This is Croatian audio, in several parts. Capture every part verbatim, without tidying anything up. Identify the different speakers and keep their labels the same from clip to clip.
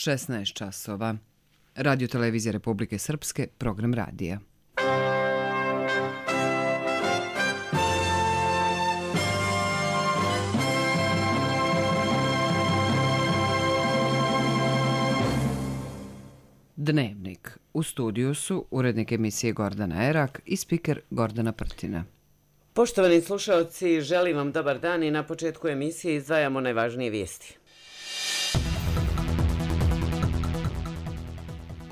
Speaker 1: šesnaest časova. Radio televizija Republike Srpske, program radija. Dnevnik. U studiju su urednik emisije Gordana Erak i spiker Gordana Prtina.
Speaker 2: Poštovani slušalci, želim vam dobar dan i na početku emisije izdvajamo najvažnije vijesti.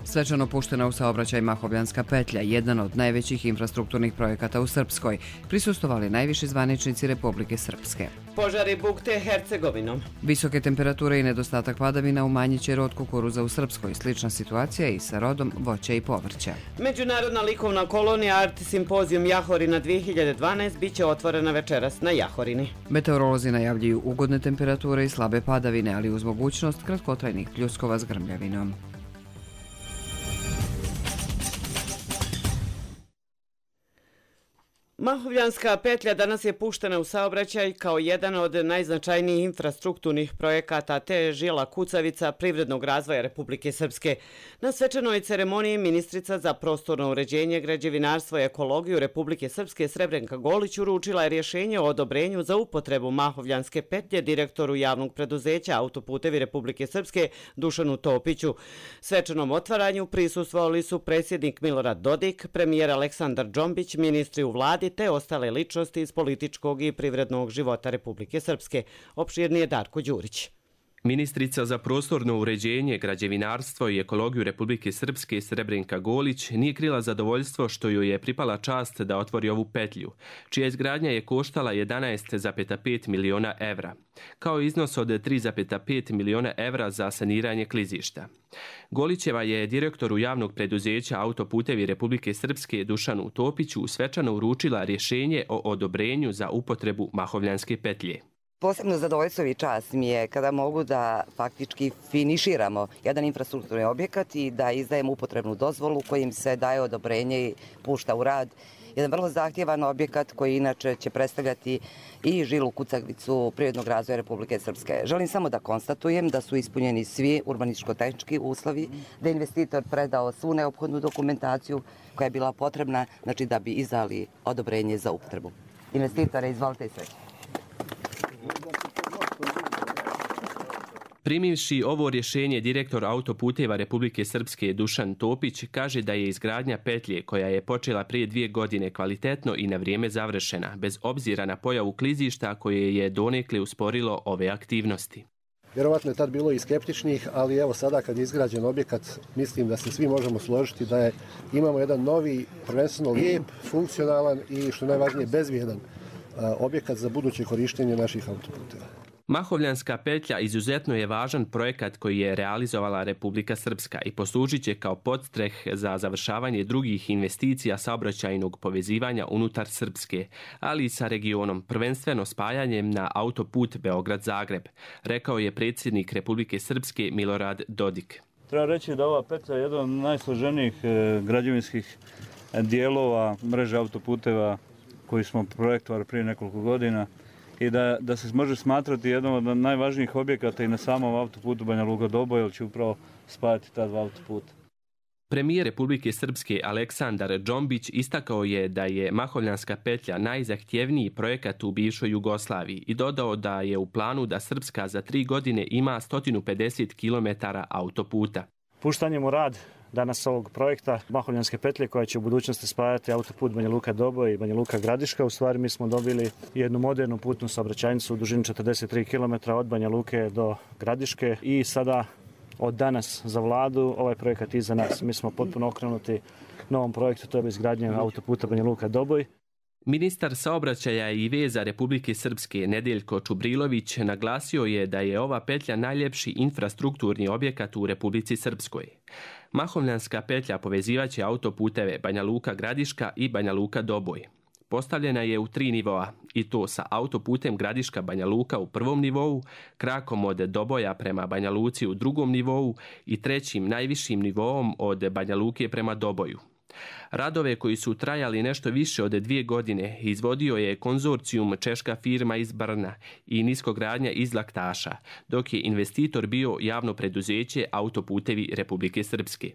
Speaker 1: Svečano puštena u saobraćaj Mahovljanska petlja, jedan od najvećih infrastrukturnih projekata u Srpskoj, prisustvovali najviši zvaničnici Republike Srpske.
Speaker 2: Požari bukte Hercegovinom.
Speaker 1: Visoke temperature i nedostatak padavina umanjit će rod kukuruza u Srpskoj. Slična situacija i sa rodom voća i povrća.
Speaker 2: Međunarodna likovna kolonija Art Simpozijum Jahorina dvije hiljade dvanaest bit će otvorena večeras na Jahorini.
Speaker 1: Meteorolozi najavljuju ugodne temperature i slabe padavine, ali uz mogućnost kratkotrajnih pljuskova s grmljavinom.
Speaker 2: Mahovljanska petlja danas je puštena u saobraćaj kao jedan od najznačajnijih infrastrukturnih projekata te žila kucavica privrednog razvoja Republike Srpske. Na svečanoj ceremoniji ministrica za prostorno uređenje, građevinarstvo i ekologiju Republike Srpske Srebrenka Golić uručila je rješenje o odobrenju za upotrebu Mahovljanske petlje direktoru javnog preduzeća Autoputevi Republike Srpske Dušanu Topiću. Svečanom otvaranju prisustvovali su predsjednik Milorad Dodik, premijer Aleksandar Džombić, ministri u vladi te ostale ličnosti iz političkog i privrednog života Republike Srpske. Opširnije Darko Đurić.
Speaker 3: Ministrica za prostorno uređenje, građevinarstvo i ekologiju Republike Srpske Srebrenka Golić nije krila zadovoljstvo što joj je pripala čast da otvori ovu petlju, čija izgradnja je koštala jedanaest zarez pet miliona evra, kao iznos od tri zarez pet miliona evra za saniranje klizišta. Golićeva je direktoru javnog preduzeća Autoputevi Republike Srpske Dušanu Topiću svečano uručila rješenje o odobrenju za upotrebu Mahovljanske petlje.
Speaker 4: Posebno zadovoljstvo i čast mi je kada mogu da faktički finiširamo jedan infrastrukturni objekat i da izdajemo upotrebnu dozvolu kojim se daje odobrenje i pušta u rad. Jedan vrlo zahtjevan objekat koji inače će predstavljati i žilu kucavicu privrednog razvoja Republike Srpske. Želim samo da konstatujem da su ispunjeni svi urbanističko-tehnički uslovi, da je investitor predao svu neophodnu dokumentaciju koja je bila potrebna, znači da bi izdali odobrenje za upotrebu. Investitore, izvolite i sreće.
Speaker 3: Primivši ovo rješenje, direktor Autoputeva Republike Srpske Dušan Topić kaže da je izgradnja petlje koja je počela prije dvije godine kvalitetno i na vrijeme završena, bez obzira na pojavu klizišta koje je donekle usporilo ove aktivnosti.
Speaker 5: Vjerovatno je tad bilo i skeptičnih, ali evo sada kad je izgrađen objekat, mislim da se svi možemo složiti da je, imamo jedan novi, prvenstveno lijep, funkcionalan i što najvažnije bezvijedan objekat za buduće korištenje naših autoputeva.
Speaker 3: Mahovljanska petlja izuzetno je važan projekat koji je realizovala Republika Srpska i poslužit će kao podstreh za završavanje drugih investicija saobraćajnog povezivanja unutar Srpske, ali i sa regionom, prvenstveno spajanjem na autoput Beograd-Zagreb, rekao je predsjednik Republike Srpske Milorad Dodik.
Speaker 6: Treba reći da ova petlja je jedan od najsloženijih građevinskih dijelova mreže autoputeva koji smo projektovali prije nekoliko godina i da, da se može smatrati jednom od najvažnijih objekata i na samom autoputu Banja Luka-Doboj, jer će upravo spajati ta dva autoputa.
Speaker 3: Premijer Republike Srpske Aleksandar Džombić istakao je da je Mahovljanska petlja najzahtjevniji projekat u bivšoj Jugoslaviji i dodao da je u planu da Srpska za tri godine ima sto pedeset kilometara autoputa.
Speaker 7: Puštanjem u rad danas ovog projekta Mahovljanske petlje koja će u budućnosti spajati autoput Banja Luka-Doboj i Banja Luka-Gradiška. U stvari mi smo dobili jednu modernu putnu saobraćajnicu u dužini četrdeset tri kilometra od Banja Luke do Gradiške i sada od danas za vladu ovaj projekat iza nas. Mi smo potpuno okrenuti novom projektu, to je izgradnja autoputa Banja Luka-Doboj.
Speaker 3: Ministar saobraćaja i veza Republike Srpske Nedeljko Čubrilović naglasio je da je ova petlja najljepši infrastrukturni objekat u Republici Srpskoj. Mahovljanska petlja povezivaće autoputeve Banja Luka-Gradiška i Banja Luka-Doboj. Postavljena je u tri nivoa i to sa autoputem Gradiška Banja Luka u prvom nivou, krakom od Doboja prema Banja Luci u drugom nivou i trećim najvišim nivoom od Banja Luke prema Doboju. Radove koji su trajali nešto više od dvije godine izvodio je konzorcijum češka firma iz Brna i niskogradnja iz Laktaša, dok je investitor bio javno preduzeće Autoputevi Republike Srpske.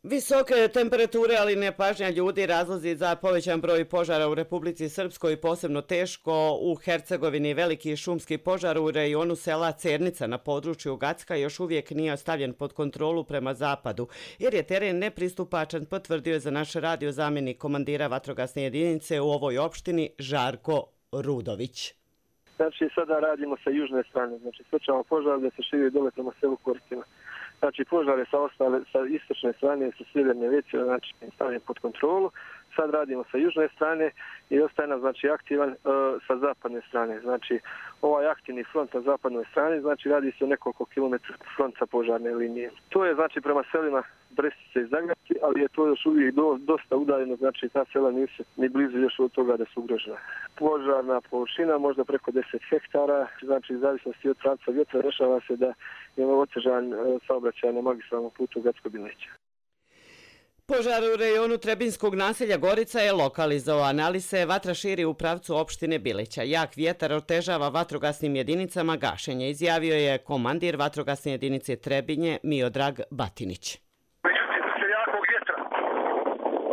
Speaker 2: Visoke temperature, ali nepažnja ljudi razlozi za povećan broj požara u Republici Srpskoj, posebno teško u Hercegovini. Veliki šumski požar u rejonu sela Cernica na području Gacka još uvijek nije stavljen pod kontrolu prema zapadu, jer je teren nepristupačan, potvrdio je za naš radio zamjenik komandira vatrogasne jedinice u ovoj opštini Žarko Rudović.
Speaker 8: Znači sada radimo sa južne strane, znači sprečavamo požar da se širi dole prema selu Koristima. Znači požare sa ostale, sa istočne strane, sa sjeverne već, znači stavljeni pod kontrolu. Sad radimo sa južne strane i ostaje nam znači aktivan uh, sa zapadne strane. Znači ovaj aktivni front na zapadnoj strani, znači radi se o nekoliko kilometara fronta požarne linije. To je znači prema selima Brestice i Zagrebci, ali je to još uvijek do, dosta udaljeno, znači ta sela nisu ni blizu još od toga da su ugrožena. Požarna površina možda preko deset hektara, znači zavisnosti od pravca vjetra dešava se da je otežan uh, saobraćaj na magistralnom putu Gacko-Bilića.
Speaker 2: Požar u rejonu Trebinskog naselja Gorica je lokalizovan, ali se vatra širi u pravcu opštine Bilića. Jak vjetar otežava vatrogasnim jedinicama gašenje, izjavio je komandir vatrogasne jedinice Trebinje Miodrag Batinić.
Speaker 9: Međutim, uslijed jakog vjetra,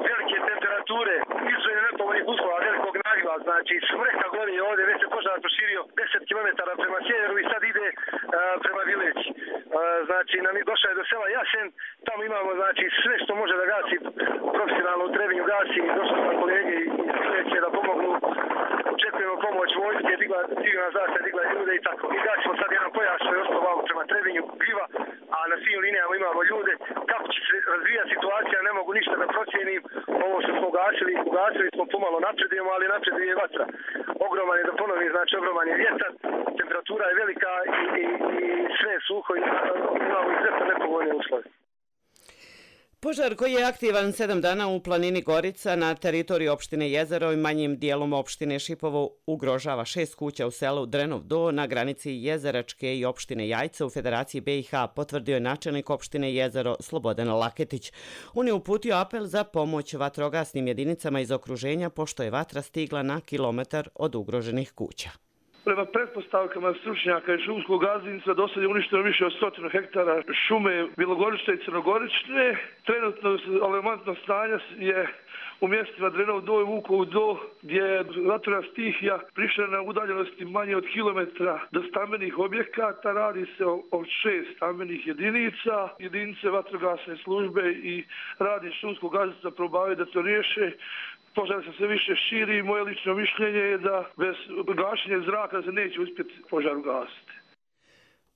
Speaker 9: velike temperature, izuzetno nepovoljnih uslova, velikog nagla, znači smreka gori ovdje, već se požar proširio deset kilometara prema sjeveru i sad ide uh, prema Bilići. Uh, znači, nam je došao je do sela Jasen, tamo imamo znači sve što može da gasi profesionalno u Trebinju gasi i došli smo kolege i sljedeće da pomognu. Očekujemo pomoć vojske, digla civilna zaštita, digla ljude i tako. I gasimo sad jedan pojas što je ostao vamo prema Trebinju, Biva, a na svim linijama imamo ljude. Kako će se razvijati situacija, ne mogu ništa da procijenim. Ovo što smo ugasili, ugasili smo pomalo napredujemo, ali napreduje vatra. Ogroman je, da ponovim, znači ogroman je vjetar, temperatura je velika i, i, i sve je suho i imamo izuzetno nepovoljne uslove.
Speaker 2: Požar koji je aktivan sedam dana u planini Gorica na teritoriji opštine Jezero i manjim dijelom opštine Šipovo ugrožava šest kuća u selu Drenov Do na granici Jezeračke i opštine Jajce u Federaciji B i H, potvrdio je načelnik opštine Jezero Slobodan Laketić. On je uputio apel za pomoć vatrogasnim jedinicama iz okruženja pošto je vatra stigla na kilometar od ugroženih kuća.
Speaker 10: Prema pretpostavkama stručnjaka i šumskog gazdinstva do sad je uništeno više od stotinu hektara šume Bilogorične i Crnogorične. Trenutno alarmantno stanje je u mjestima Drenov Do i Vukov Do, gdje je vatrena stihija prišla na udaljenosti manje od kilometra do stambenih objekata. Radi se o, o šest stambenih jedinica. Jedinice vatrogasne službe i radnik šumskog gazdinstva probavaju da to riješe. Požar se sve više širi i moje lično mišljenje je da bez gašenja zraka se neće uspjeti požar ugasiti.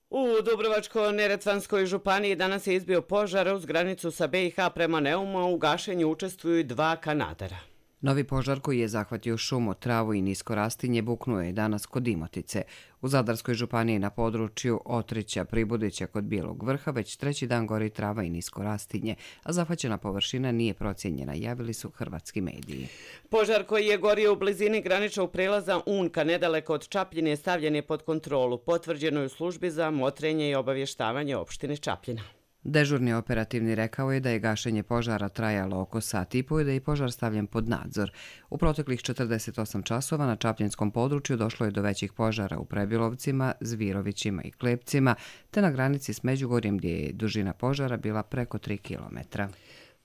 Speaker 2: U Dubrovačko-neretvanskoj županiji danas je izbio požar uz granicu sa B i H prema Neumu, u gašenju učestvuju dva kanadera.
Speaker 1: Novi požar koji je zahvatio šumu, travu i nisko rastinje buknuo je danas kod Imotice. U Zadarskoj županiji na području Otrića, Pribudića kod Bijelog Vrha već treći dan gori trava i nisko rastinje, a zahvaćena površina nije procijenjena, javili su hrvatski mediji.
Speaker 2: Požar koji je gorio u blizini graničnog prelaza Unka nedaleko od Čapljine stavljen je pod kontrolu, potvrđeno je u službi za motrenje i obavještavanje opštine Čapljina.
Speaker 1: Dežurni operativni rekao je da je gašenje požara trajalo oko sat i po i da je požar stavljen pod nadzor. U proteklih četrdeset osam časova na Čapljinskom području došlo je do većih požara u Prebilovcima, Zvirovićima i Klepcima, te na granici s Međugorjem gdje je dužina požara bila preko tri kilometra.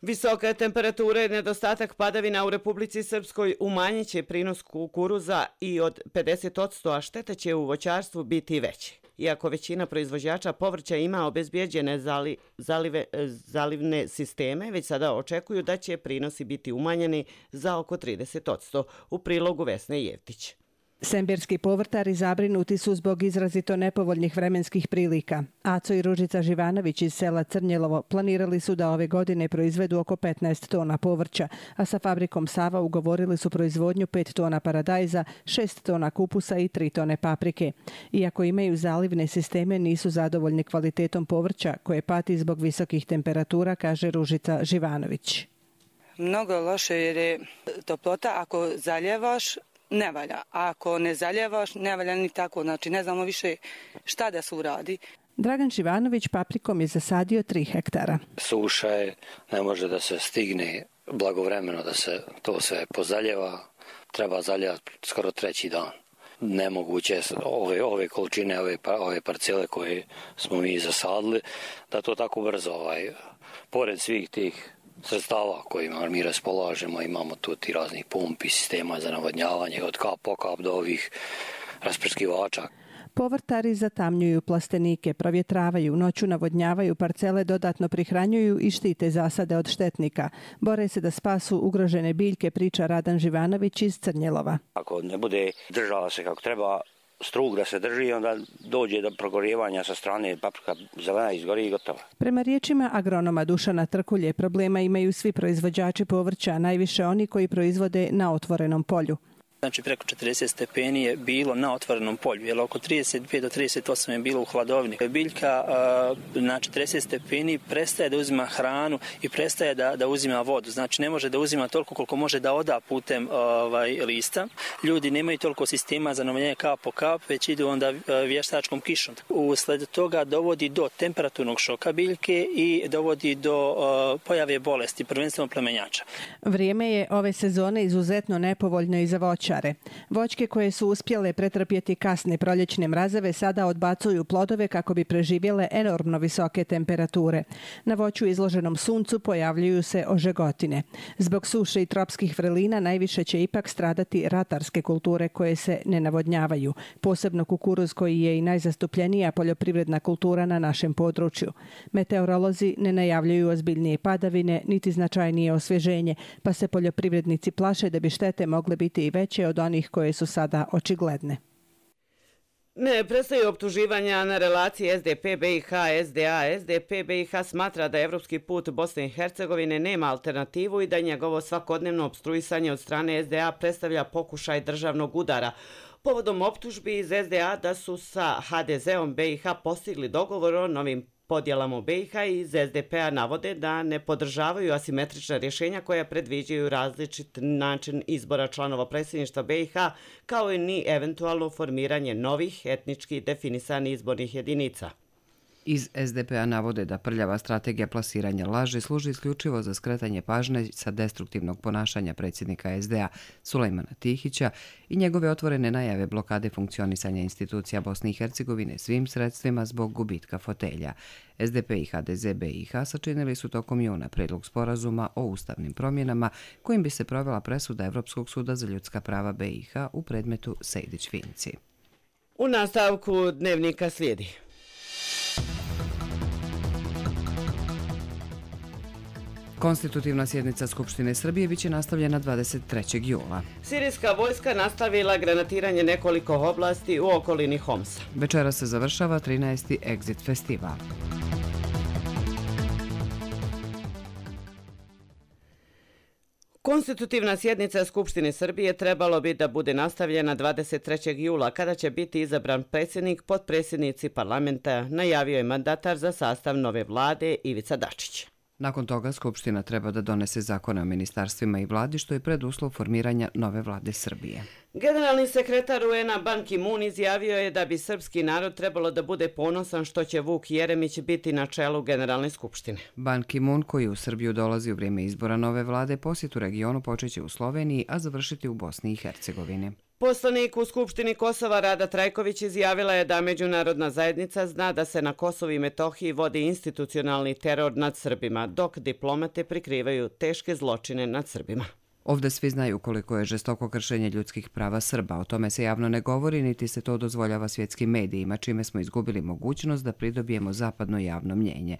Speaker 2: Visoka temperatura i nedostatak padavina u Republici Srpskoj umanjit će prinos kukuruza i od pedeset posto, a štete će u voćarstvu biti veće. Iako većina proizvođača povrća ima obezbijeđene zali, zalive, zalivne sisteme, već sada očekuju da će prinosi biti umanjeni za oko trideset posto. U prilogu Vesne Jevtić.
Speaker 11: Semberski povrtari zabrinuti su zbog izrazito nepovoljnih vremenskih prilika. Aco i Ružica Živanović iz sela Crnjelovo planirali su da ove godine proizvedu oko petnaest tona povrća, a sa fabrikom Sava ugovorili su proizvodnju pet tona paradajza, šest tona kupusa i tri tone paprike. Iako imaju zalivne sisteme, nisu zadovoljni kvalitetom povrća koje pati zbog visokih temperatura, kaže Ružica Živanović.
Speaker 12: Mnogo loše jer je toplota, ako zaljevaš, ne valja. A ako ne zaljevaš, ne valja ni tako. Znači, ne znamo više šta da se uradi.
Speaker 11: Dragan Živanović paprikom je zasadio tri hektara.
Speaker 13: Suša je, ne može da se stigne blagovremeno da se to sve pozaljeva. Treba zaljevati skoro treći dan. Nemoguće ove, ove količine, ove, ove parcele koje smo mi zasadili, da to tako brzo, ovaj, pored svih tih sredstava kojima mi raspolažemo, imamo tu ti raznih pumpi, sistema za navodnjavanje, od kap po kap do ovih rasprskivača.
Speaker 11: Povrtari zatamnjuju plastenike, provjetravaju, noću navodnjavaju parcele, dodatno prihranjuju i štite zasade od štetnika. Bore se da spasu ugrožene biljke, priča Radan Živanović iz Crnjelova.
Speaker 14: Ako ne bude držala se kako treba, strug da se drži, onda dođe do progorjevanja sa strane, paprika zelena izgori i gotova.
Speaker 11: Prema riječima agronoma Dušana Trkulje, problema imaju svi proizvođači povrća, najviše oni koji proizvode na otvorenom polju.
Speaker 15: Znači preko četrdeset stepeni je bilo na otvorenom polju, jer oko trideset pet do trideset osam je bilo u hladovini. Biljka na četrdeset stepeni prestaje da uzima hranu i prestaje da, da uzima vodu. Znači ne može da uzima toliko koliko može da oda putem ovaj, lista. Ljudi nemaju toliko sistema za navodnjavanje kap po kap, već idu onda vještačkom kišom. Usled toga dovodi do temperaturnog šoka biljke i dovodi do uh, pojave bolesti, prvenstveno plemenjača.
Speaker 11: Vrijeme je ove sezone izuzetno nepovoljno i za voće. Voćke koje su uspjele pretrpjeti kasne proljećne mrazeve sada odbacuju plodove kako bi preživjele enormno visoke temperature. Na voću izloženom suncu pojavljuju se ožegotine. Zbog suše i tropskih vrelina najviše će ipak stradati ratarske kulture koje se ne navodnjavaju, posebno kukuruz koji je i najzastupljenija poljoprivredna kultura na našem području. Meteorolozi ne najavljuju ozbiljnije padavine niti značajnije osvježenje, pa se poljoprivrednici plaše da bi štete mogle biti i veće od onih koje su sada očigledne.
Speaker 2: Ne prestaju optuživanja na relaciji S D P B i H S D A. S D P B i H smatra da evropski put Bosne i Hercegovine nema alternativu i da njegovo svakodnevno opstruisanje od strane S D A predstavlja pokušaj državnog udara. Povodom optužbi iz S D A da su sa H D Z-om B i H postigli dogovor o novim podjelama u B i H i iz S D P-a navode da ne podržavaju asimetrična rješenja koja predviđaju različit način izbora članova predsjedništva B i H, kao i ni eventualno formiranje novih etnički definisanih izbornih jedinica.
Speaker 1: Iz S D P-a navode da prljava strategija plasiranja laži služi isključivo za skretanje pažnje sa destruktivnog ponašanja predsjednika S D A Sulejmana Tihića i njegove otvorene najave blokade funkcionisanja institucija Bosne i Hercegovine svim sredstvima zbog gubitka fotelja. S D P i H D Z B i H sačinili su tokom juna predlog sporazuma o ustavnim promjenama kojim bi se provela presuda Evropskog suda za ljudska prava B i H u predmetu Sejdić-Finci.
Speaker 2: U nastavku dnevnika slijedi.
Speaker 1: Konstitutivna sjednica Skupštine Srbije biće nastavljena dvadeset trećeg jula.
Speaker 2: Sirijska vojska nastavila granatiranje nekoliko oblasti u okolini Homsa.
Speaker 1: Večera se završava trinaesti Exit festival.
Speaker 2: Konstitutivna sjednica Skupštine Srbije trebalo bi da bude nastavljena dvadeset trećeg jula, kada će biti izabran predsjednik, potpredsjednici parlamenta, najavio je mandatar za sastav nove vlade Ivica Dačić.
Speaker 1: Nakon toga Skupština treba da donese zakone o ministarstvima i vladi, što je preduslov formiranja nove vlade Srbije.
Speaker 2: Generalni sekretar U N-a Ban Ki-moon izjavio je da bi srpski narod trebalo da bude ponosan što će Vuk Jeremić biti na čelu Generalne skupštine.
Speaker 1: Ban Ki-moon, koji u Srbiju dolazi u vrijeme izbora nove vlade, posjet u regionu počeće u Sloveniji, a završiti u Bosni i Hercegovini.
Speaker 2: Poslanik u Skupštini Kosova Rada Trajković izjavila je da međunarodna zajednica zna da se na Kosovu i Metohiji vodi institucionalni teror nad Srbima, dok diplomate prikrivaju teške zločine nad Srbima.
Speaker 1: Ovdje svi znaju koliko je žestoko kršenje ljudskih prava Srba. O tome se javno ne govori, niti se to dozvoljava svjetskim medijima, čime smo izgubili mogućnost da pridobijemo zapadno javno mnjenje.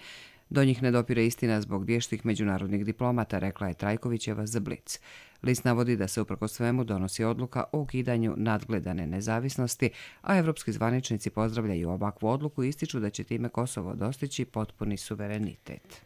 Speaker 1: Do njih ne dopire istina zbog vještih međunarodnih diplomata, rekla je Trajkovićeva za Blic. List navodi da se uprkos svemu donosi odluka o ukidanju nadgledane nezavisnosti, a evropski zvaničnici pozdravljaju ovakvu odluku i ističu da će time Kosovo dostići potpuni suverenitet.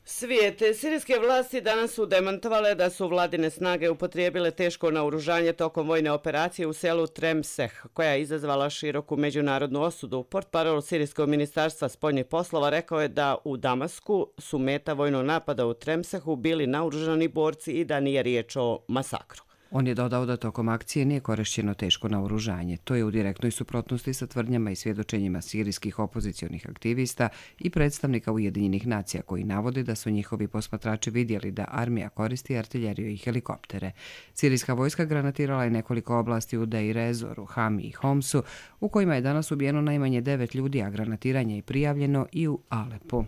Speaker 2: Svijete, sirijske vlasti danas su demantovale da su vladine snage upotrijebile teško naoružanje tokom vojne operacije u selu Tremseh, koja je izazvala široku međunarodnu osudu. Portparol Sirijskog ministarstva spoljnih poslova rekao je da u Damasku su meta vojnog napada u Tremsehu bili naoružani borci i da nije riječ o masakru.
Speaker 1: On je dodao da tokom akcije nije korišćeno teško naoružanje. To je u direktnoj suprotnosti sa tvrdnjama i svjedočenjima sirijskih opozicionih aktivista i predstavnika Ujedinjenih nacija koji navode da su njihovi posmatrači vidjeli da armija koristi artiljeriju i helikoptere. Sirijska vojska granatirala je nekoliko oblasti u Deir ez-Zoru, Hami i Homsu, u kojima je danas ubijeno najmanje devet ljudi, a granatiranje je prijavljeno i u Alepu.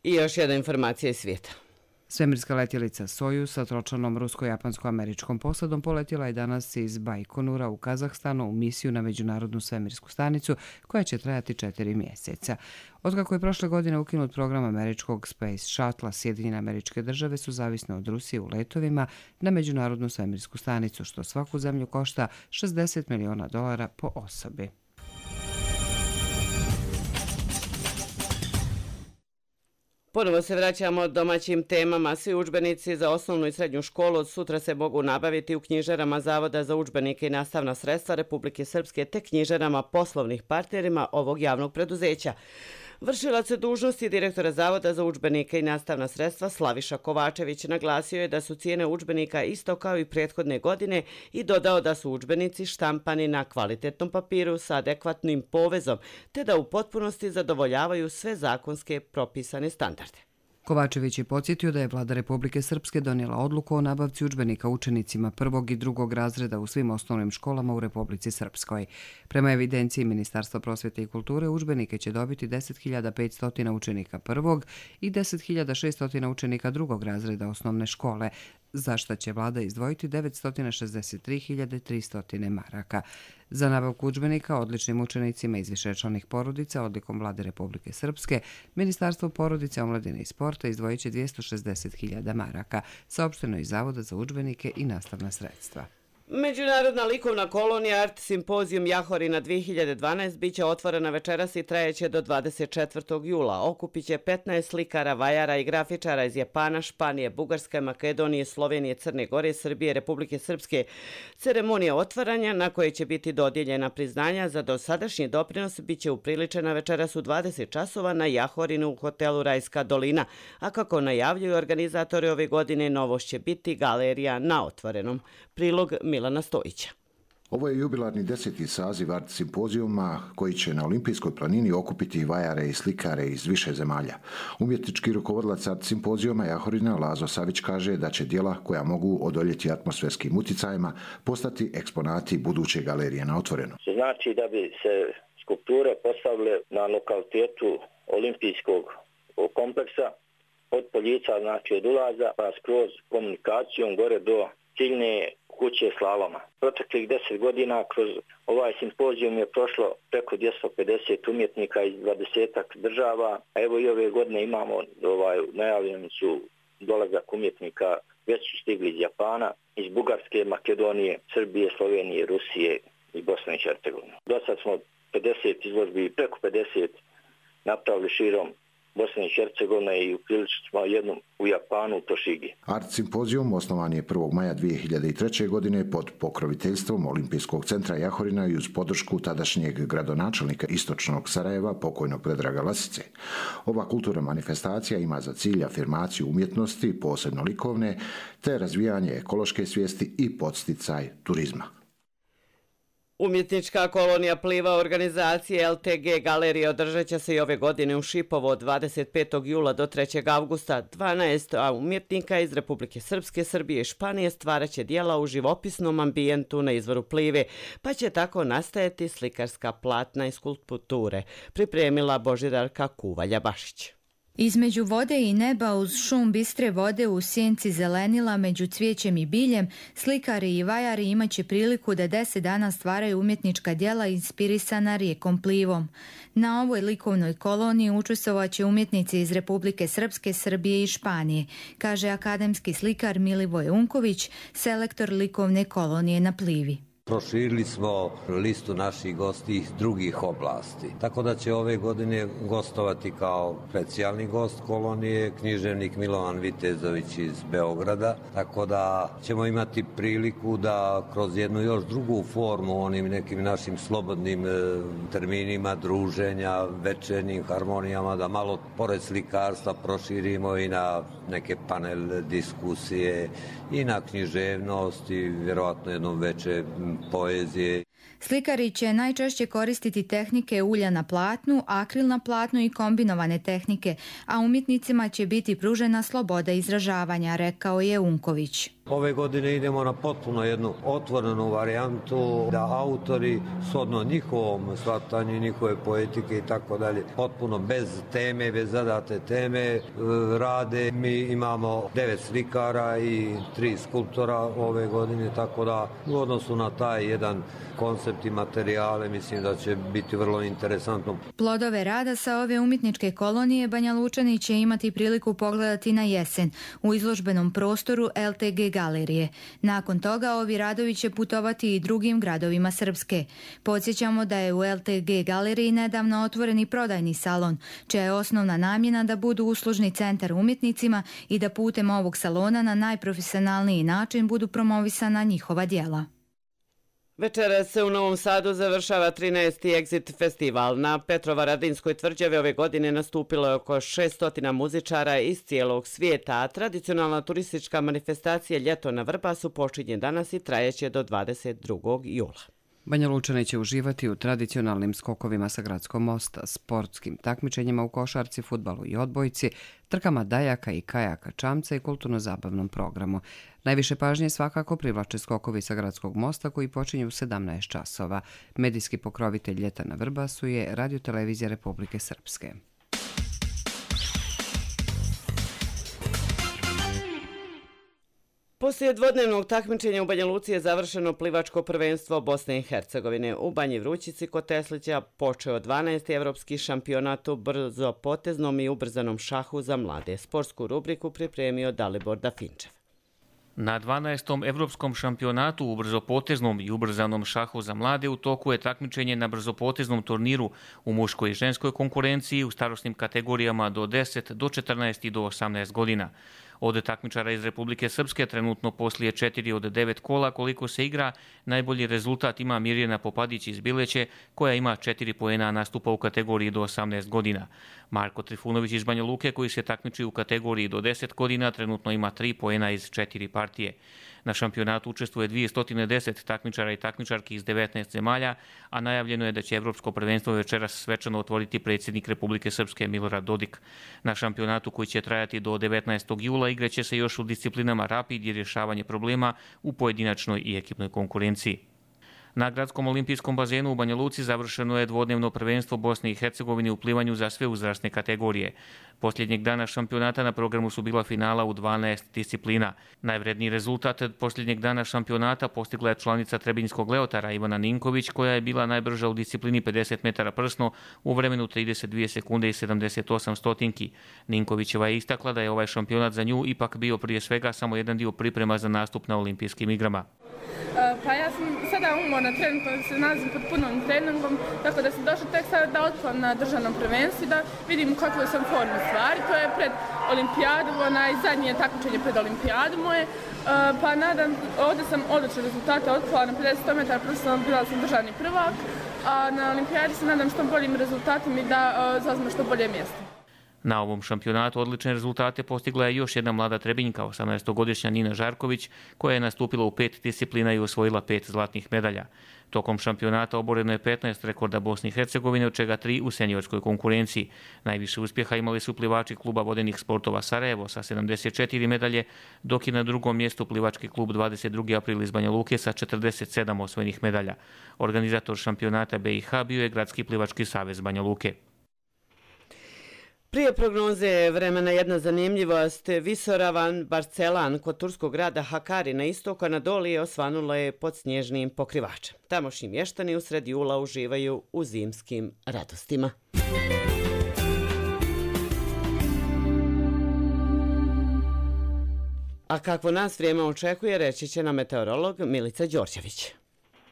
Speaker 2: I još jedna informacija iz svijeta.
Speaker 1: Svemirska letjelica Sojuz sa tročlanom rusko-japansko-američkom posadom poletjela je danas iz Bajkonura u Kazahstanu u misiju na Međunarodnu svemirsku stanicu koja će trajati četiri mjeseca. Otkako je prošle godine ukinut program američkog Space Shuttle, Sjedinjene Američke Države su zavisne od Rusije u letovima na Međunarodnu svemirsku stanicu, što svaku zemlju košta šezdeset miliona dolara po osobi.
Speaker 2: Ponovo se vraćamo domaćim temama. Svi udžbenici za osnovnu i srednju školu od sutra se mogu nabaviti u knjižarama Zavoda za udžbenike i nastavna sredstva Republike Srpske te knjižarama poslovnih partnerima ovog javnog preduzeća. Vršilac dužnosti direktora Zavoda za udžbenike i nastavna sredstva Slaviša Kovačević naglasio je da su cijene udžbenika isto kao i prethodne godine i dodao da su udžbenici štampani na kvalitetnom papiru sa adekvatnim povezom, te da u potpunosti zadovoljavaju sve zakonske propisane standarde.
Speaker 1: Kovačević je podsjetio da je Vlada Republike Srpske donijela odluku o nabavci udžbenika učenicima prvog i drugog razreda u svim osnovnim školama u Republici Srpskoj. Prema evidenciji Ministarstva prosvjete i kulture, udžbenike će dobiti deset hiljada petsto učenika prvog i deset hiljada šesto učenika drugog razreda osnovne škole, za što će vlada izdvojiti devetsto šezdeset tri hiljade tristo maraka. Za nabavku udžbenika odličnim učenicima iz višečlanih porodica odlikom Vlade Republike Srpske, Ministarstvo porodice, omladine i sporta izdvojit će dvjesto šezdeset hiljada maraka, saopšteno iz Zavoda za udžbenike i nastavna sredstva.
Speaker 2: Međunarodna likovna kolonija Art Simpozijum Jahorina dvije hiljade dvanaest biće otvorena večeras i trajeće do dvadeset četvrtog jula. Okupit će petnaest slikara, vajara i grafičara iz Japana, Španije, Bugarske, Makedonije, Slovenije, Crne Gore, Srbije, Republike Srpske. Ceremonija otvaranja na kojoj će biti dodijeljena priznanja za dosadašnji doprinos biće upriličena večeras u dvadeset časova na Jahorinu u hotelu Rajska dolina, a kako najavljuju organizatori ove godine, novost će biti galerija na otvorenom. Prilog Milana Stojića.
Speaker 16: Ovo je jubilarni deseti saziv Art Simpozijuma koji će na Olimpijskoj planini okupiti vajare i slikare iz više zemalja. Umjetnički rukovodilac Art Simpozijuma Jahorina Lazo Savić kaže da će djela koja mogu odoljeti atmosferskim uticajima postati eksponati buduće galerije na otvoreno.
Speaker 17: Znači da bi se skulpture postavile na lokalitetu olimpijskog kompleksa od Poljica, znači od ulaza, pa skroz komunikacijom gore do ciljne kuće slaloma. Proteklih deset godina kroz ovaj simpozijum je prošlo preko dvjesto pedeset umjetnika iz dvadesetak država, a evo i ove godine imamo ovaj, najavljeni su dolazak umjetnika, već su stigli iz Japana, iz Bugarske, Makedonije, Srbije, Slovenije, Rusije i Bosne i Hercegovine. Do sad smo pedeset izložbi, preko pedeset napravili širom Bosne i Hercegovine i upriličili smo jednu u Japanu, u Tošigi.
Speaker 16: Art Simpozijum osnovan je prvog maja dvije hiljade treće. godine pod pokroviteljstvom Olimpijskog centra Jahorina i uz podršku tadašnjeg gradonačelnika istočnog Sarajeva, pokojnog Predraga Lasice. Ova kulturna manifestacija ima za cilj afirmaciju umjetnosti, posebno likovne, te razvijanje ekološke svijesti i podsticaj turizma.
Speaker 2: Umjetnička kolonija pliva organizacije L T G galerije održat će se i ove godine u Šipovo od dvadeset petog jula do trećeg avgusta. dvanaest umjetnika iz Republike Srpske, Srbije i Španije stvarat će dijela u živopisnom ambijentu na izvoru plive, pa će tako nastajati slikarska platna i skulpture, pripremila Božidarka Kuvalja-Bašić.
Speaker 18: Između vode i neba uz šum bistre vode u sjenci zelenila među cvijećem i biljem, slikari i vajari imaće priliku da deset dana stvaraju umjetnička djela inspirisana rijekom Plivom. Na ovoj likovnoj koloniji učestvovaće umjetnici iz Republike Srpske, Srbije i Španije, kaže akademski slikar Milivoje Unković, selektor likovne kolonije na Plivi.
Speaker 19: proširili smo listu naših gosti iz drugih oblasti. Tako da će ove godine gostovati kao specijalni gost kolonije književnik Milovan Vitezović iz Beograda. Tako da ćemo imati priliku da kroz jednu još drugu formu, onim nekim našim slobodnim terminima druženja, večernjim harmonijama, da malo pored slikarstva proširimo i na neke panel diskusije i na književnost i vjerovatno jednom veće poezije.
Speaker 18: Slikari će najčešće koristiti tehnike ulja na platnu, akril na platnu i kombinovane tehnike, a umjetnicima će biti pružena sloboda izražavanja, rekao je Unković.
Speaker 19: Ove godine idemo na potpuno jednu otvorenu varijantu da autori shodno njihovom shvatanju, njihove poetike i tako dalje, potpuno bez teme, bez zadate teme rade. Mi imamo devet slikara i tri skulptora ove godine, tako da u odnosu na taj jedan koncept i materijale mislim da će biti vrlo interesantno.
Speaker 18: Plodove rada sa ove umjetničke kolonije Banja Lučani će imati priliku pogledati na jesen u izložbenom prostoru el te ge galerije. Nakon toga ovi radovi će putovati i drugim gradovima Srpske. Podsjećamo da je u el te ge galeriji nedavno otvoreni prodajni salon, čija je osnovna namjena da budu uslužni centar umjetnicima i da putem ovog salona na najprofesionalniji način budu promovisana njihova djela.
Speaker 2: Večeras se u Novom Sadu završava trinaesti Exit festival. Na Petrovaradinskoj tvrđavi ove godine nastupilo je oko šesto muzičara iz cijelog svijeta, a tradicionalna turistička manifestacija Ljeto na Vrbasu počinje danas i trajeće do dvadeset drugog jula.
Speaker 1: Banja Lučani će uživati u tradicionalnim skokovima sa Gradskog mosta, sportskim takmičenjima u košarci, fudbalu i odbojci, trkama dajaka i kajaka čamca i kulturno-zabavnom programu. Najviše pažnje svakako privlače skokovi sa Gradskog mosta koji počinju u sedamnaest časova. Medijski pokrovitelj Ljeta na Vrbasu je Radio-televizija Republike Srpske.
Speaker 2: Poslije dvodnevnog takmičenja u Banja Luci je završeno plivačko prvenstvo Bosne i Hercegovine. U Banji Vrućici kod Teslića počeo dvanaesti evropski šampionat u brzopoteznom i ubrzanom šahu za mlade. Sportsku rubriku pripremio Dalibor Dafinčev.
Speaker 20: Na dvanaestom evropskom šampionatu u brzopoteznom i ubrzanom šahu za mlade u toku je takmičenje na brzopoteznom turniru u muškoj i ženskoj konkurenciji u starosnim kategorijama do deset, do četrnaest i do osamnaest godina. Od takmičara iz Republike Srpske trenutno poslije četiri od devet kola koliko se igra, najbolji rezultat ima Mirjana Popadić iz Bileće koja ima četiri poena, a nastupa u kategoriji do osamnaest godina. Marko Trifunović iz Banja Luke koji se takmiči u kategoriji do deset godina trenutno ima tri poena iz četiri partije. Na šampionatu učestvuje dvjesto deset takmičara i takmičarki iz devetnaest zemalja, a najavljeno je da će Evropsko prvenstvo večeras svečano otvoriti predsjednik Republike Srpske Milorad Dodik. Na šampionatu koji će trajati do devetnaestog jula igraće se još u disciplinama rapid i rješavanje problema u pojedinačnoj i ekipnoj konkurenciji. Na Gradskom olimpijskom bazenu u Banja Luci završeno je dvodnevno prvenstvo Bosne i Hercegovine u plivanju za sve uzrasne kategorije. Posljednjeg dana šampionata na programu su bila finala u dvanaest disciplina. Najvredniji rezultat posljednjeg dana šampionata postigla je članica Trebinjskog Leotara Ivana Ninković koja je bila najbrža u disciplini pedeset metara prsno u vremenu trideset dvije sekunde i sedamdeset osam stotinki. Ninkovićeva je istakla da je ovaj šampionat za nju ipak bio prije svega samo jedan dio priprema za nastup na olimpijskim igrama.
Speaker 21: Pa ja sam sada umorna, trenutno se nalazim pod punom treningom, tako da sam došla tek sada da otplam na državnom prvenstvu da vidim u kakvoj sam formu stvari. To je pred olimpijadu, onaj zadnje takmičenje pred olimpijadu moje, pa nadam, ovdje sam odlične rezultate otpala na pedeset metara, profesionalno bila sam državni prvak, a na olimpijadi se nadam što boljim rezultatima i da zauzmem što bolje mjesto.
Speaker 20: Na ovom šampionatu odlične rezultate postigla je još jedna mlada Trebinjka, osamnaestogodišnja Nina Žarković, koja je nastupila u pet disciplina i osvojila pet zlatnih medalja. Tokom šampionata oboreno je petnaest rekorda Bosne i Hercegovine, od čega tri u seniorskoj konkurenciji. Najviše uspjeha imali su plivači kluba vodenih sportova Sarajevo sa sedamdeset četiri medalje, dok je na drugom mjestu plivački klub dvadeset drugi april iz Banja Luke sa četrdeset sedam osvojenih medalja. Organizator šampionata be i ha bio je Gradski plivački savez Banja Luke.
Speaker 2: Prije prognoze vremena jedna zanimljivost. Visoravan Barcelan kod turskog grada Hakari na istoku Anadolije osvanulo je pod snježnim pokrivačem. Tamošnji mještani usred jula uživaju u zimskim radostima. A kakvo nas vrijeme očekuje, reći će nam meteorolog Milica Đorđević.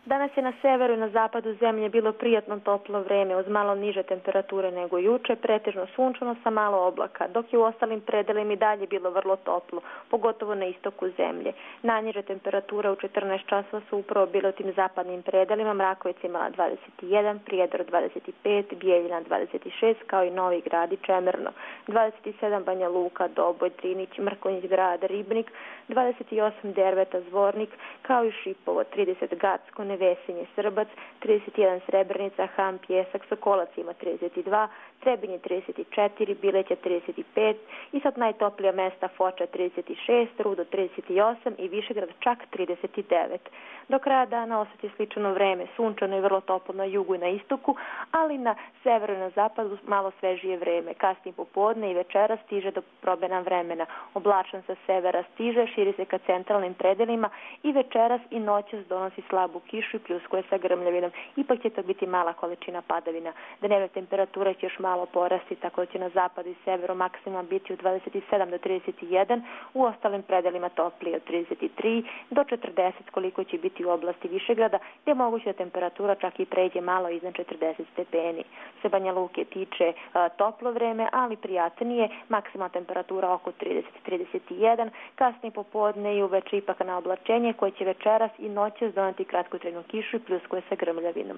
Speaker 4: Danas je na severu i na zapadu zemlje bilo prijatno toplo vreme uz malo niže temperature nego juče, pretežno sunčano sa malo oblaka, dok je u ostalim predelima i dalje bilo vrlo toplo, pogotovo na istoku zemlje. Najniže temperature u četrnaest časova su upravo bile u tim zapadnim predelima, Mrakovica imala dvadeset jedan, Prijedor dvadeset pet, Bijeljina dvadeset šest, kao i Novi Grad i Čemerno, dvadeset sedam Banja Luka, Doboj, Drinić, Mrkonjić Grad, Ribnik, dvadeset osam Derveta, Zvornik, kao i Šipovo, trideset Gacko, Nevesinje, Srbac, trideset jedan Srebrenica, Ham, Pjesak, Sokolac ima trideset dva, Trebinje trideset četiri, Bileća trideset pet i sad najtoplija mesta Foča trideset šest, Rudo trideset osam i Višegrad čak trideset devet. Do kraja dana osjeća slično vreme, sunčano i vrlo toplo na jugu i na istoku, ali na severu i na zapadu malo svežije vreme. Kasnije popodne i večera stiže do promjena vremena. Oblačan sa severa stiže, širi se ka centralnim predelima i večeras i noćas donosi slabu kišu i pljuskuje sa grmljavinom. Ipak će to biti mala količina padavina. Dnevne temperature će još malo porasti, tako da će na zapadu i severu maksimum biti od dvadeset sedam do trideset jedan, u ostalim predelima toplije od trideset tri do četrdeset, koliko će biti u oblasti Višegrada, gdje je moguće da temperatura čak i pređe malo iznad četrdeset stepeni. Se Banja Luke tiče a, toplo vreme, ali prijatnije, maksimalna temperatura oko trideset do trideset jedan, kasnije popodne i uveče ipak na oblačenje koje će večeras i noćas doneti kratkotrajnu kišu i pljuskuje sa grmljavinom.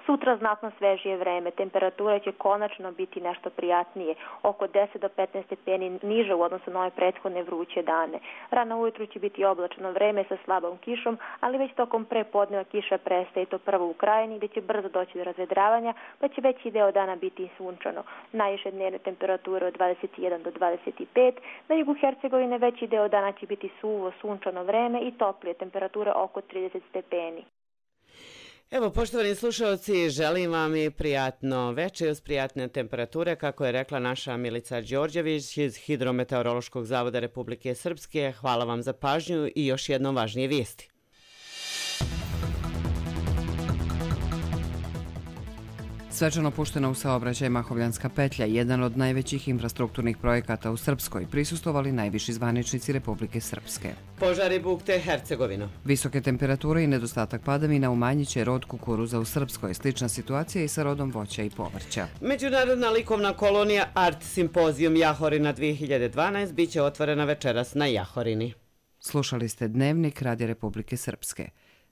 Speaker 4: Sutra znatno svežije vreme, temperatura će konačno biti nešto prijatnije, oko deset do petnaest stepeni niže u odnosu na ove prethodne vruće dane. Rano ujutru će biti oblačno vreme sa slabom kišom, ali već tokom prepodneva kiša prestaje i to prvo u Krajini, gdje će brzo doći do razvedravanja, pa će veći deo dana biti sunčano. Najviše dnevne temperature od dvadeset jedan do dvadeset pet, na jugu Hercegovine veći deo dana će biti suvo, sunčano vreme i toplije, temperature oko trideset stepeni.
Speaker 2: Evo, poštovani slušalci, želim vam i prijatno večer uz prijatne temperature, kako je rekla naša Milica Đorđević iz Hidrometeorološkog zavoda Republike Srpske. Hvala vam za pažnju i još jednom važnije vijesti.
Speaker 1: Svečano puštena u saobraćaj Mahovljanska petlja, jedan od najvećih infrastrukturnih projekata u Srpskoj, prisustovali najviši zvaničnici Republike Srpske.
Speaker 2: Požari bukte Hercegovinu.
Speaker 1: Visoke temperature i nedostatak padavina umanjit će rod kukuruza u Srpskoj. Slična situacija i sa rodom voća i povrća.
Speaker 2: Međunarodna likovna kolonija Art Simpozijum Jahorina dvije hiljade dvanaest biće otvorena večeras na Jahorini.
Speaker 1: Slušali ste Dnevnik Radija Republike Srpske.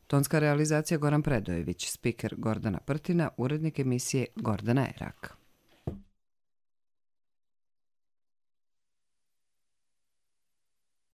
Speaker 1: Tonska realizacija Goran Predojević, spiker Gordana Prtina, urednik emisije Gordana Erak.